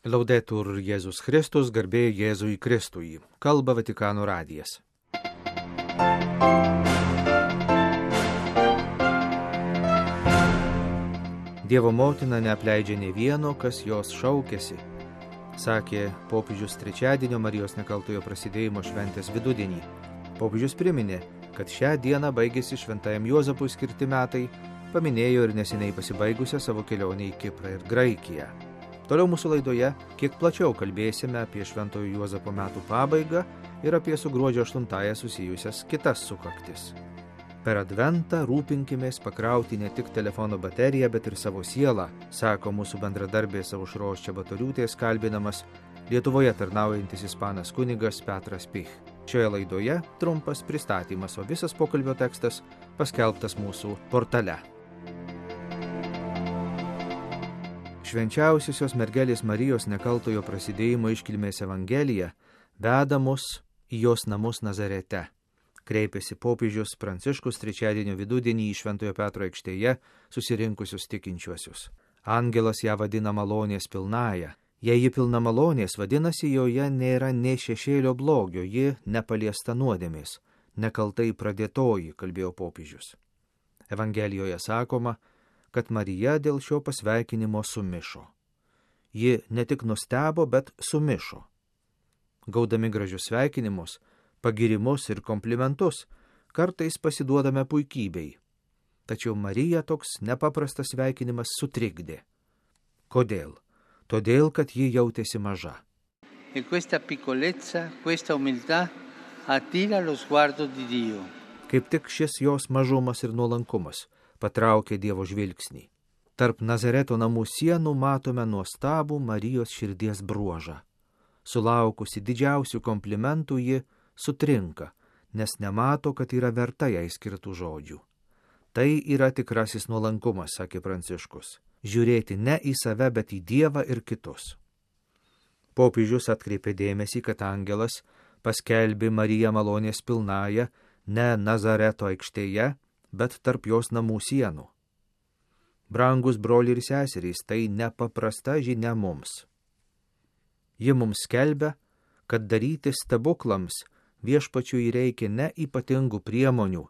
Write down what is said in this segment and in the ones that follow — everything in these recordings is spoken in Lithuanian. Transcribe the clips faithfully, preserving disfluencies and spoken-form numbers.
Laudetur Jėzus Kristus, garbė Jėzui Kristui. Kalba Vatikano radijas. Dievo motina neapleidžia nė vieno, kas jos šaukėsi, sakė popiežius trečiadienio Marijos Nekaltojo prasidėjimo šventės vidudienį. Popiežius priminė, kad šią dieną baigėsi šventajam Juozapui skirti metai, paminėjo ir neseniai pasibaigusią savo kelionę į Kiprą ir Graikiją. Toliau mūsų laidoje kiek plačiau kalbėsime apie šventojo Juozapo metų pabaigą ir apie su gruodžio aštuntąja susijusias kitas sukaktis. Per adventą rūpinkimės pakrauti ne tik telefono bateriją, bet ir savo sielą, sako mūsų bendradarbės Aušros Čebatoriūtės kalbinamas Lietuvoje tarnaujantis ispanas kunigas Petras Pich. Šioje laidoje trumpas pristatymas, o visas pokalbio tekstas paskelbtas mūsų portale. Švenčiausiosios mergelės Marijos Nekaltojo prasidėjimo iškilmės evangelija veda mus į jos namus Nazarete. Kreipėsi popiežius Pranciškus trečiadienio vidudienį į Šventojo Petro aikštėje susirinkusius tikinčiuosius. Angelas ją vadina malonės pilnąja. Jei ji pilna malonės, vadinasi, joje nėra nė šešėlio blogio, ji nepaliesta nuodėmės, nekaltai pradėtoji, kalbėjo popiežius. Evangelijoje sakoma, kad Marija dėl šio pasveikinimo sumišo. Ji ne tik nustebo, bet sumišo. Gaudami gražius sveikinimus, pagirimus ir komplimentus, kartais pasiduodame puikybei. Tačiau Mariją toks nepaprastas sveikinimas sutrikdė. Kodėl? Todėl, kad ji jautėsi maža. E questa piccolezza, questa umiltà attira lo sguardo di Dio. Kaip tik šis jos mažumas ir nuolankumas patraukė Dievo žvilgsnį. Tarp Nazareto namų sienų matome nuostabų Marijos širdies bruožą. Sulaukusi didžiausių komplimentų ji sutrinka, nes nemato, kad yra verta jai skirtų žodžių. Tai yra tikrasis nuolankumas, sakė Pranciškus. Žiūrėti ne į save, bet į Dievą ir kitus. Popiežius atkreipė dėmesį, kad angelas paskelbė Mariją malonės pilnąją ne Nazareto aikštėje, bet tarp jos namų sienų. Brangus broliai ir seserys, tai nepaprasta žinia mums. Ji mums skelbia, kad daryti stebuklams viešpačiui reikia ne ypatingų priemonių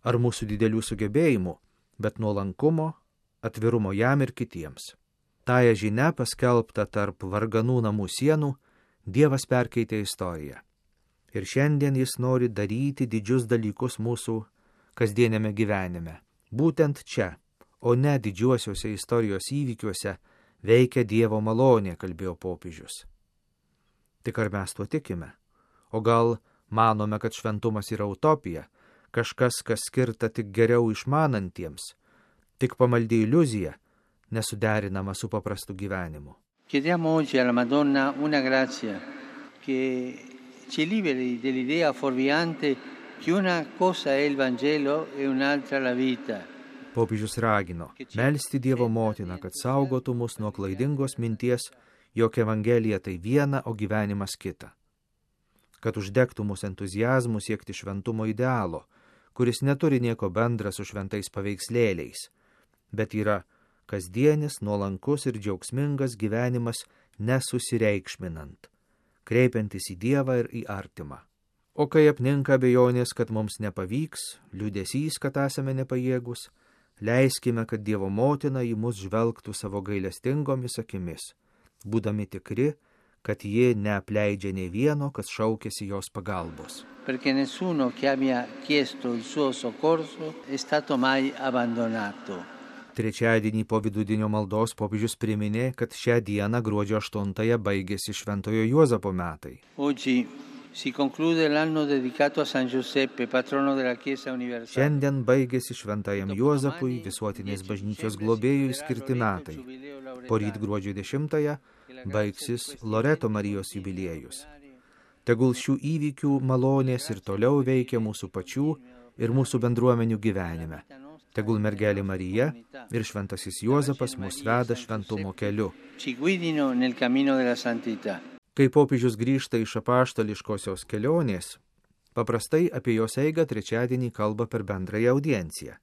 ar mūsų didelių sugebėjimų, bet nuolankumo, atvirumo jam ir kitiems. Tąją žinią paskelbta tarp varganų namų sienų, Dievas perkeitė istoriją. Ir šiandien jis nori daryti didžius dalykus mūsų kasdienėme gyvenime. Būtent čia, o ne didžiuosiuose istorijos įvykiuose, veikia Dievo malonė, kalbėjo popiežius. Tik ar mes tuo tikime? O gal manome, kad šventumas yra utopija, kažkas, kas skirta tik geriau išmanantiems, tik pamaldi iliuzija, nesuderinama su paprastu gyvenimu. Chiediamo oggi alla Madonna una grazia che ci liberi dell'idea fuorviante che una cosa è il Vangelo e un'altra la vita. Popiežius ragino melsti Dievo motiną, kad saugotų mus nuo klaidingos minties, jog Evangelija tai viena, o gyvenimas kita. Kad uždegtų mus entuziazmų siekti šventumo idealo, kuris neturi nieko bendra su šventais paveikslėliais, bet yra kasdienis, nuolankus ir džiaugsmingas gyvenimas nesusireikšminant, kreipiantis į Dievą ir į artimą. O kai apninka abejonės, kad mums nepavyks, liūdesys, kad esame nepajėgus, leiskime, kad Dievo motina į mus žvelgtų savo gailestingomis akimis, būdami tikri, kad ji neapleidžia nei vieno, kas šaukėsi jos pagalbos. Perché nessuno che abbia chiesto il suo soccorso è stato mai abbandonato. Trečiadienį po vidudienio maldos popiežius priminė, kad šią dieną gruodžio aštuntąją baigėsi šventojo Juozapo metai. Oggi si conclude l'anno dedicato a San Giuseppe, patrono della Chiesa universale. Šiandien baigėsi šventajam Juozapui, visuotinės bažnyčios globėjui skirti metai. Poryt gruodžio dešimtąją baigsis Loreto Marijos jubiliejus. Tegul šių įvykių malonės ir toliau veikia mūsų pačių ir mūsų bendruomenių gyvenime. Tegul mergelė Marija ir šventasis Juozapas mus veda šventumo keliu. Ci guidino nel cammino della santità. Kai popiežius grįžta iš apaštališkosios kelionės, paprastai apie jos eigą trečiadienį kalba per bendrąją audienciją.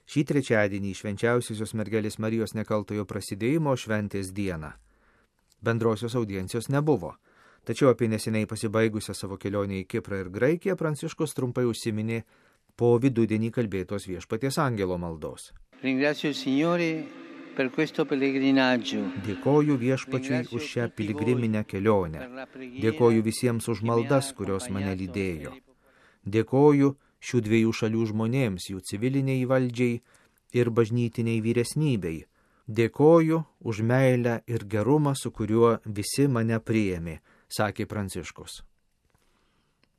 Šį trečiadienį švenčiausiosios mergelės Marijos Nekaltojo prasidėjimo šventės dieną Bendrosios audiencijos nebuvo. Tačiau apie neseniai pasibaigusią savo kelionę į Kiprą ir Graikiją Pranciškus trumpai užsiminė po vidudienį kalbėtos Viešpaties angelo maldos. Ringrazio il Signore per questo pellegrinaggio. Dėkoju Viešpačiui už šią piligriminę kelionę. Dėkoju visiems už maldas, kurios mane lydėjo. Dėkoju šių dviejų šalių žmonėms, jų civiliniai valdžiai ir bažnytiniai vyresnybei. Dėkoju už meilę ir gerumą, su kuriuo visi mane priėmė, sakė Pranciškus.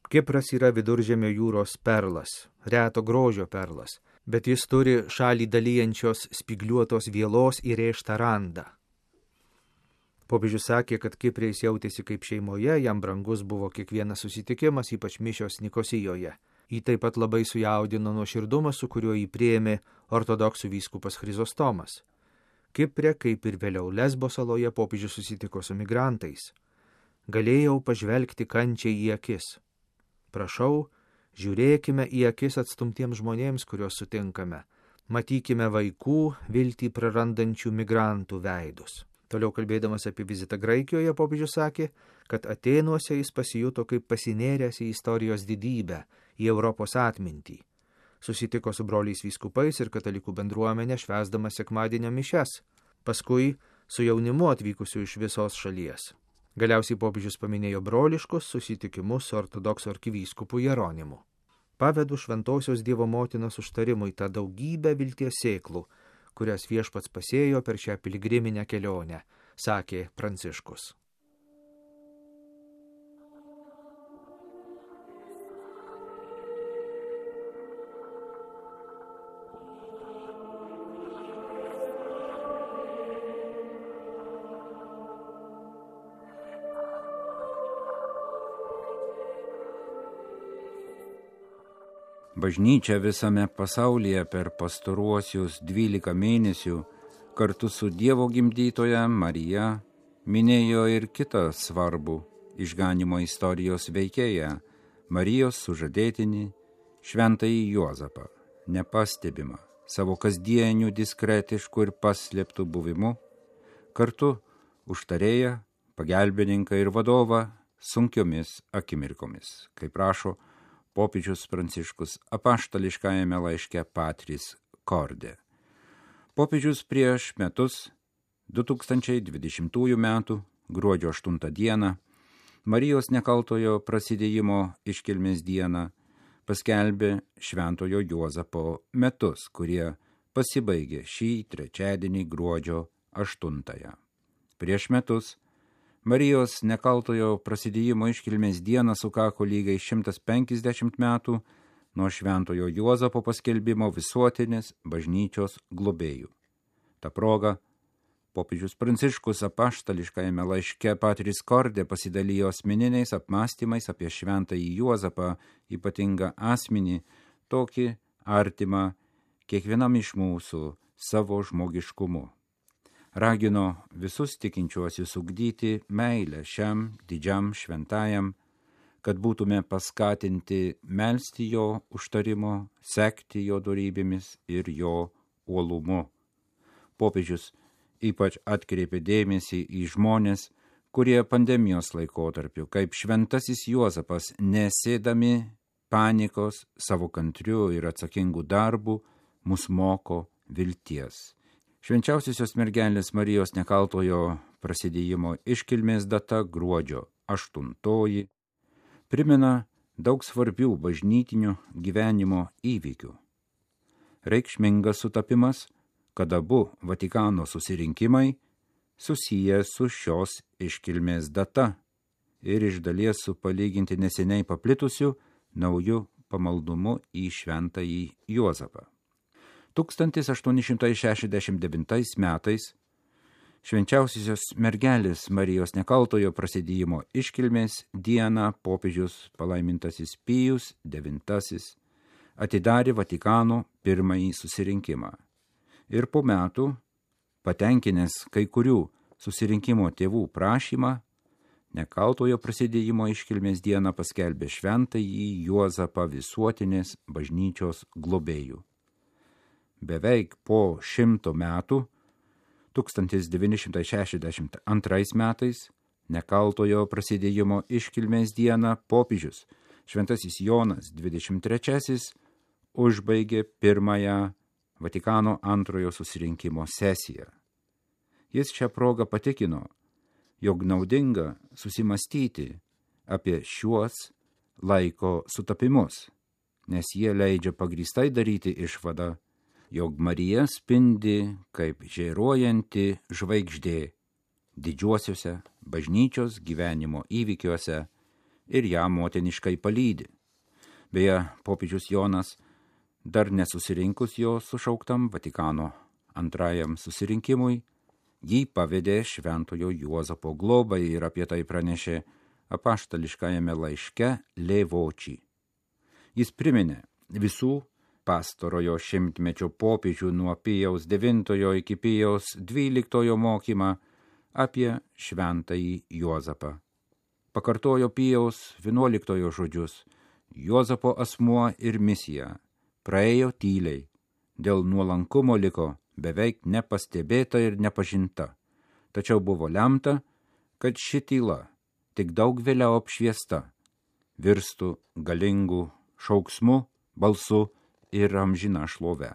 Kipras yra Viduržemio jūros perlas, reto grožio perlas, bet jis turi šalį dalyjančios spygliuotos vielos įrėžtą randą. Popiežius sakė, kad Kiprė jis jautėsi kaip šeimoje, jam brangus buvo kiekvienas susitikimas, ypač mišios Nikosijoje. Jį taip pat labai sujaudino nuoširdumas, su kuriuo jį priėmė ortodoksų vyskupas Chrizostomas. Kiprė, kaip ir vėliau Lesbo saloje, popiežius susitiko su migrantais. Galėjau pažvelgti kančiai į akis. Prašau, žiūrėkime į akis atstumtiems žmonėms, kuriuos sutinkame. Matykime vaikų, viltį prarandančių migrantų veidus. Toliau kalbėdamas apie vizitą Graikijoje, popiežius sakė, kad Atėnuose jis pasijuto kaip pasinėręs į istorijos didybę, į Europos atmintį. Susitiko su broliais vyskupais ir katalikų bendruomenė švęsdamas sekmadienio mišias, paskui su jaunimu atvykusiu iš visos šalies. Galiausiai popiežius paminėjo broliškus susitikimus su ortodoksų arkivyskupu Jeronimu. Pavedu šventosios Dievo motinos užtarimui tą daugybę vilties sėklų, kurias Viešpats pasėjo per šią piligriminę kelionę, sakė Pranciškus. Bažnyčia visame pasaulyje per pastaruosius dvylika mėnesių kartu su Dievo gimdytoja Marija minėjo ir kitą svarbų išganymo istorijos veikėją, Marijos sužadėtinį, šventąjį Juozapą, nepastebimą savo kasdienių diskretiškų ir paslėptų buvimu, kartu užtarėją, pagelbininką ir vadovą sunkiomis akimirkomis, kaip rašo popiežius Pranciškus apaštališkajame laiške Patris Corde. Popiežius prieš metus, du tūkstančiai dvidešimtųjų metų, gruodžio aštuntą dieną, Marijos nekaltojo prasidėjimo iškilmės dieną, paskelbė šventojo Juozapo metus, kurie pasibaigė šį trečiadienį gruodžio aštuntąją. Prieš metus Marijos nekaltojo prasidėjimo iškilmės dieną sukako lygiai šimtas penkiasdešimt metų nuo šventojo Juozapo paskelbimo visuotinės bažnyčios globėjų. Ta proga popiežius Pranciškus apaštališkajame laiške Patris Corde pasidalijo asmeniniais apmąstymais apie šventąjį Juozapą, ypatingą asmenį, tokį artimą kiekvienam iš mūsų savo žmogiškumu. Ragino visus tikinčiuosius ugdyti meilę šiam didžiam šventajam, kad būtume paskatinti melsti jo užtarimo, sekti jo dorybėmis ir jo uolumu. Popiežius ypač atkreipė dėmesį į žmonės, kurie pandemijos laikotarpiu, kaip šventasis Juozapas, nesėdami panikos savo kantriu ir atsakingu darbu, mus moko vilties. Švenčiausiosios mergelės Marijos nekaltojo prasidėjimo iškilmės data gruodžio aštuntoji primena daug svarbių bažnytinio gyvenimo įvykių. Reikšmingas sutapimas, kad abu Vatikano susirinkimai susiję su šios iškilmės data ir iš dalies su palyginti neseniai paplitusiu nauju pamaldumu į šventąjį Juozapą. tūkstantis aštuoni šimtai šešiasdešimt devintais metais švenčiausiosios mergelės Marijos nekaltojo prasidėjimo iškilmės dieną popiežius palaimintasis Pijus devintasis atidarė Vatikano pirmąjį susirinkimą. Ir po metų, patenkinęs kai kurių susirinkimo tėvų prašymą, nekaltojo prasidėjimo iškilmės dieną paskelbė šventąjį Juozapą visuotinės bažnyčios globėjų. Beveik po šimto metų, tūkstantis devyni šimtai šešiasdešimt antrais metais, nekaltojo prasidėjimo iškilmės dieną, popiežius šventasis Jonas dvidešimt trečiasis užbaigė pirmąją Vatikano antrojo susirinkimo sesiją. Jis šią progą patikino, jog naudinga susimastyti apie šiuos laiko sutapimus, nes jie leidžia pagrįstai daryti išvadą, jog Marija spindi kaip žėruojanti žvaigždė didžiuosiuose bažnyčios gyvenimo įvykiuose ir ją motiniškai palydi. Beje, popiežius Jonas dar nesusirinkus jo sušauktam Vatikano antrajam susirinkimui, jį pavedė šventojo Juozapo globai ir apie tai pranešė apaštališkajame laiške Levoči. Jis priminė visų pastarojo šimtmečio popiežių nuo Pijaus devintojo iki Pijaus dvyliktojo mokymą apie šventąjį Juozapą. Pakartojo Pijaus vienuoliktojo žodžius: Juozapo asmuo ir misija praėjo tyliai, dėl nuolankumo liko beveik nepastebėta ir nepažinta, tačiau buvo lemta, kad ši tyla, tik daug vėliau apšviesta, virstų galingų šauksmu, balsu ir amžina šlove.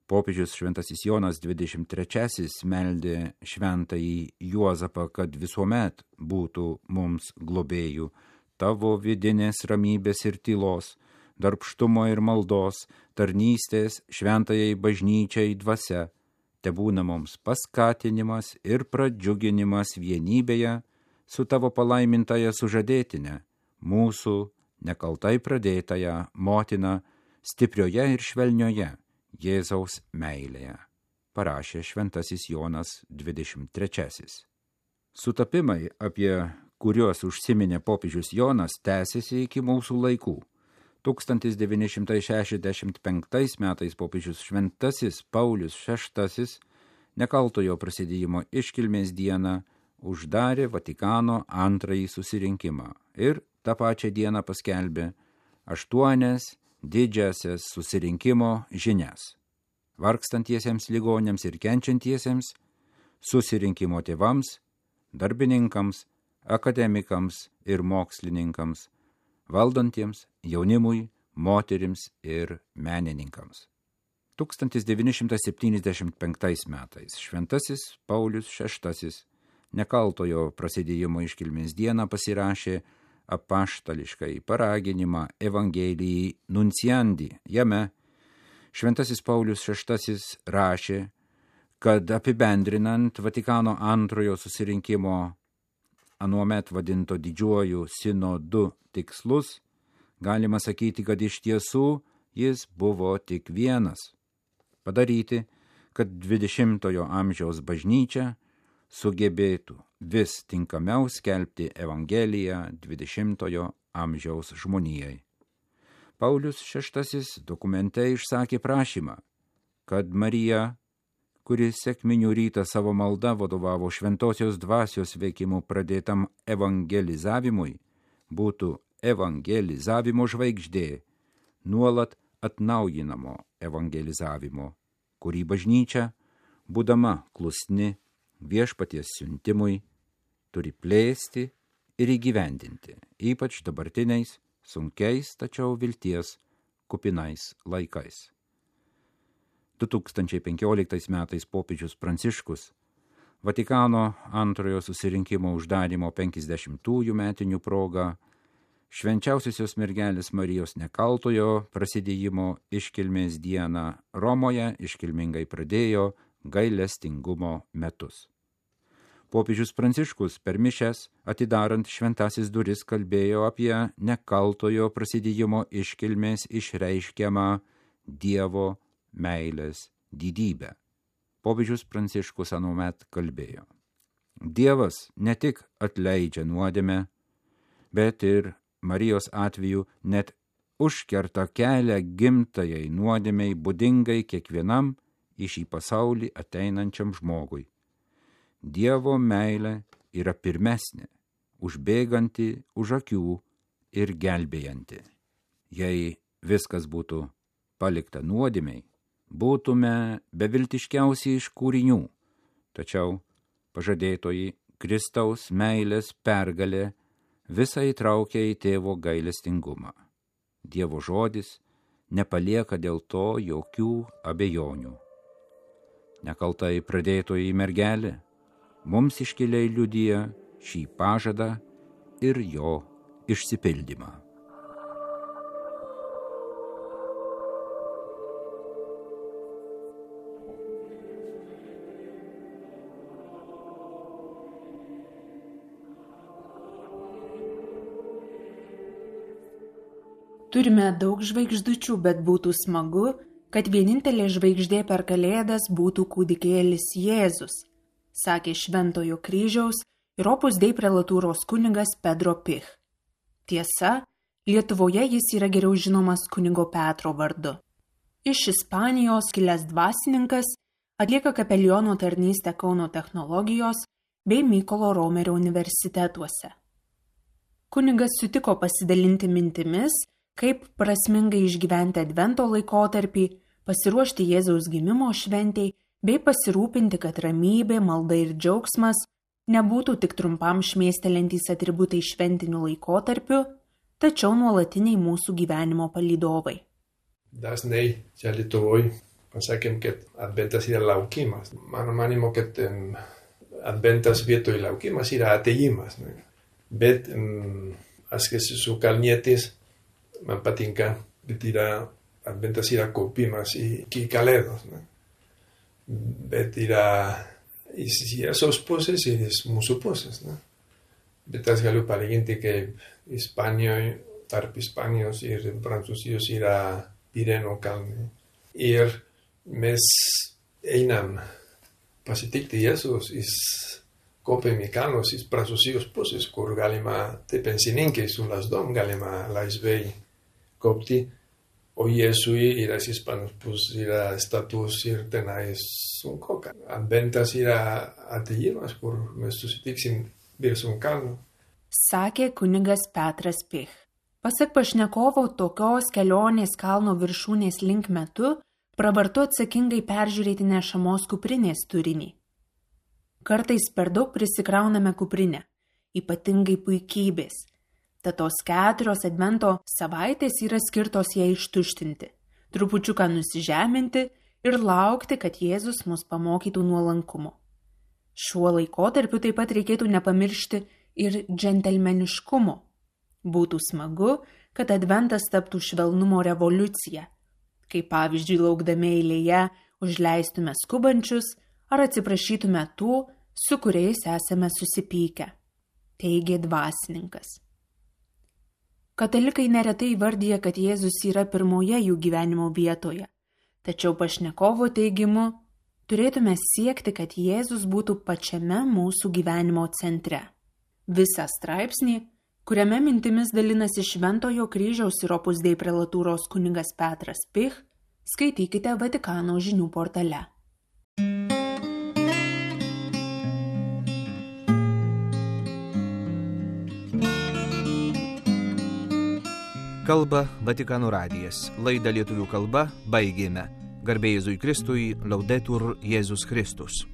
Popiežius šventasis Jonas dvidešimt trečiasis meldė šventąjį Juozapą, kad visuomet būtų mums globėjų tavo vidinės ramybės ir tylos, darbštumo ir maldos, tarnystės šventajai bažnyčiai dvasia, tebūna mums paskatinimas ir pradžiuginimas vienybėje su tavo palaimintaja sužadėtine, mūsų nekaltai pradėtąją motiną, stiprioje ir švelnioje Jėzaus meilėje, parašė šventasis Jonas dvidešimt trečiasis. Sutapimai, apie kuriuos užsiminė popiežius Jonas, tęsiasi iki mūsų laikų. tūkstantis devyni šimtai šešiasdešimt penktais metais popiežius šventasis Paulius šeštasis nekaltojo prasidėjimo iškilmės dieną uždarė Vatikano antrąjį susirinkimą ir tą pačią dieną paskelbė aštuonias didžiasias susirinkimo žinias vargstantiesiems ligoniams ir kenčiantiesiems, susirinkimo tėvams, darbininkams, akademikams ir mokslininkams, valdantiems, jaunimui, moterims ir menininkams. tūkstantis devyni šimtai septyniasdešimt penktais metais šventasis Paulius šeštasis nekaltojo prasidėjimo iškilmės dieną pasirašė apaštališkai paraginimą Evangelijai Nunciandi. Jame šventasis Paulius šeštasis rašė, kad apibendrinant Vatikano antrojo susirinkimo anuomet vadinto didžiuoju sinodu tikslus, galima sakyti, kad iš tiesų jis buvo tik vienas – padaryti, kad dvidešimtojo amžiaus bažnyčia sugebėtų vis tinkamiau skelbti Evangeliją dvidešimtojo amžiaus žmonijai. Paulius šeštasis dokumente išsakė prašymą, kad Marija, kuri sekminių rytą savo malda vadovavo šventosios dvasios veikimu pradėtam evangelizavimui, būtų evangelizavimo žvaigždė, nuolat atnaujinamo evangelizavimo, kurį bažnyčia, būdama klusni viešpaties siuntimui, turi plėsti ir įgyvendinti, ypač dabartiniais, sunkiais, tačiau vilties kupinais laikais. du tūkstančiai penkioliktais metais popiežius Pranciškus Vatikano antrojo susirinkimo uždarymo penkiasdešimtųjų metinių proga švenčiausiosios mergelės Marijos nekaltojo prasidėjimo iškilmės dieną Romoje iškilmingai pradėjo gailestingumo metus. Popiežius Pranciškus per mišias atidarant šventasis duris kalbėjo apie nekaltojo prasidėjimo iškilmės išreiškiamą Dievo meilės didybę. Popiežius Pranciškus anuomet kalbėjo: Dievas ne tik atleidžia nuodėmę, bet ir Marijos atveju net užkerta kelią gimtajai nuodėmei būdingai kiekvienam į šį pasaulį ateinančiam žmogui. Dievo meilė yra pirmesnė, užbėganti už akių ir gelbėjanti. Jei viskas būtų palikta nuodėmei, būtume beviltiškiausiai iš kūrinių, Tačiau pažadėtoji Kristaus meilės pergalė visą įtraukia į tėvo gailestingumą. Dievo žodis nepalieka dėl to jokių abejonių. Nekaltai pradėtoji mergelė mums iškiliai liudija šį pažadą ir jo išsipildymą. Turime daug žvaigždučių, bet būtų smagu, kad vienintelė žvaigždė per Kalėdas būtų kūdikėlis Jėzus, sakė Šventojo kryžiaus ir Opus Dei prelatūros kunigas Pedro Pich. Tiesa, Lietuvoje jis yra geriau žinomas kunigo Petro vardu. Iš Ispanijos kilęs dvasininkas atlieka kapeliono tarnystę Kauno technologijos bei Mykolo Romerio universitetuose. Kunigas sutiko pasidalinti mintimis, kaip prasmingai išgyventi advento laikotarpį, pasiruošti Jėzaus gimimo šventei, bei pasirūpinti, kad ramybė, malda ir džiaugsmas nebūtų tik trumpam šmėstelintys atributai šventiniu laikotarpiu, tačiau nuolatiniai mūsų gyvenimo palydovai. Dažnai čia Lietuvoj pasakėm, kad adventas yra laukimas. Mano manimo, kad um, adventas vietoj laukimas yra atėjimas. Ne? Bet um, aš esu kalnietis, man patinka, bet yra, adventas yra kaupimas iki Kalėdos. Ne? Bet yra, jis yra sos pusės ir jis mūsų pusės. Ne? Bet aš galiu palyginti, kaip Ispanijoje, tarp Ispanijos ir Prancūzijos yra Pireno kalnai. Ir mes einam pasitikti Jėzus, jis kopėm į kalnus, jis Prancūzijos pusės, kur galima, tai pensininkai su lasdom galima laisvai kopti, o Jėzui yra Ispanos pusės, yra status ir tenais sunku. Adventas yra atėjimas, kur mes susitiksim virš un kalno. Sakė kunigas Petras Pich. Pasak pašnekovo, tokios kelionės kalno viršūnės link metu pravartu atsakingai peržiūrėti nešamos kuprinės turinį. Kartais per daug prisikrauname kuprinę, ypatingai puikybės. Tad tos keturios advento savaitės yra skirtos ją ištuštinti, trupučiuką nusižeminti ir laukti, kad Jėzus mus pamokytų nuolankumo. Šiuo laikotarpiu taip pat reikėtų nepamiršti ir džentelmeniškumo. Būtų smagu, kad adventas taptų švelnumo revoliucija, kai pavyzdžiui laukdami eilėje užleistume skubančius ar atsiprašytume tų, su kuriais esame susipykę, teigė dvasininkas. Katalikai neretai įvardyja, kad Jėzus yra pirmoje jų gyvenimo vietoje, tačiau pašnekovo teigimu turėtume siekti, kad Jėzus būtų pačiame mūsų gyvenimo centre. Visą straipsnį, kuriame mintimis dalinasi Šventojo kryžiaus ir Opus Dei prelatūros kunigas Petras Pich, skaitykite Vatikano žinių portale. Kalba Vatikano radijas. Laidą lietuvių kalba baigėme. Garbė Jėzui Kristui, Laudetur Jėzus Kristus.